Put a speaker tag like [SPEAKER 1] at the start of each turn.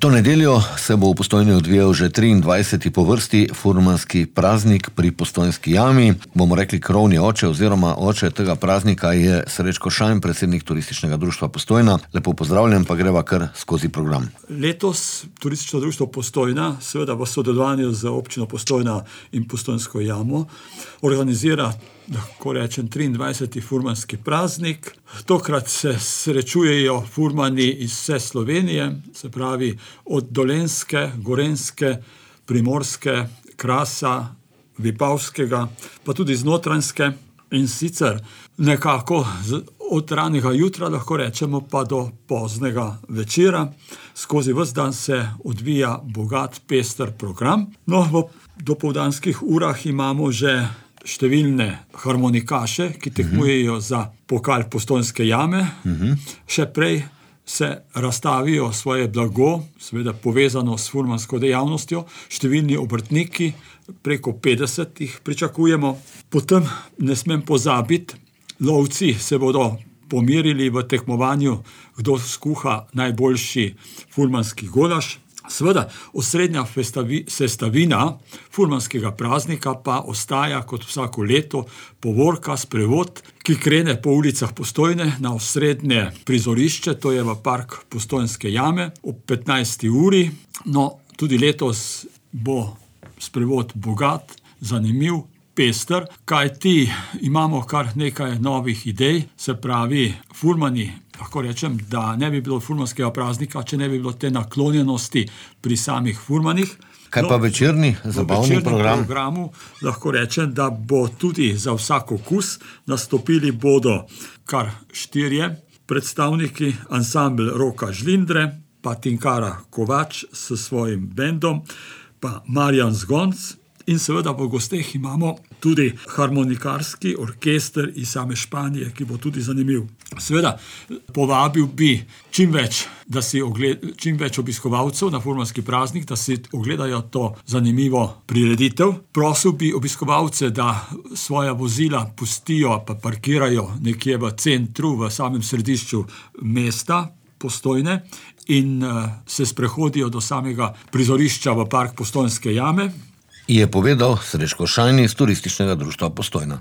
[SPEAKER 1] To nedeljo se bo v Postojni odvijal že 23. po vrsti furmanski praznik pri Postojnski jami. Bomo rekli krovni oče oziroma oče tega praznika je Srečko Šajn, predsednik Turističnega društva Postojna. Lepo pozdravljen, pa greva kar skozi program.
[SPEAKER 2] Letos Turistično društvo Postojna, seveda v sodelovanju z občino Postojna in Postojnsko jamo, organizira, lahko rečem, 23. furmanski praznik. Tokrat se srečujejo furmani iz vse Slovenije, se pravi od Dolenjske, Gorenjske, Primorske, Krasa, Vipavskega, pa tudi z Notranjske, in sicer nekako od ranega jutra, lahko rečemo, pa do poznega večera. Skozi ves dan se odvija bogat, pester program. No, v dopoldanskih urah imamo že številne harmonikaše, ki tekmujejo za pokal Postojnske jame. Še prej se razstavijo svoje blago, seveda povezano s furmansko dejavnostjo, številni obrtniki, preko 50 jih pričakujemo. Potem ne smem pozabiti, lovci se bodo pomerili v tekmovanju, kdo skuha najboljši furmanski golaž. Seveda, osrednja sestavina furmanskega praznika pa ostaja kot vsako leto povorka, sprevod, ki krene po ulicah Postojne na osrednje prizorišče, to je v park Postojnske jame ob 15. uri. No, tudi letos bo sprevod bogat, zanimiv, pester, kajti imamo kar nekaj novih idej, se pravi furmani. Lahko rečem, da ne bi bilo furmanskega praznika, če ne bi bilo te naklonjenosti pri samih furmanih.
[SPEAKER 1] Kaj pa večerni zabavni program?
[SPEAKER 2] V programu lahko rečem, da bo tudi za vsak okus. Nastopili bodo kar 4 predstavniki, ansambel Roka Žlindre, pa Tinkara Kovač s svojim bendom, pa Marjan Zgonc. In seveda v gosteh imamo tudi harmonikarski orkester iz same Španije, ki bo tudi zanimiv. Seveda, povabil bi čim več obiskovalcev na furmanski praznik, da si ogledajo to zanimivo prireditev. Prosil bi obiskovalce, da svoja vozila pustijo pa parkirajo nekje v centru, v samem središču mesta Postojne in se sprehodijo do samega prizorišča v park Postojnske jame.
[SPEAKER 1] Je povedal Srečko Šajn iz Turističnega društva Postojna.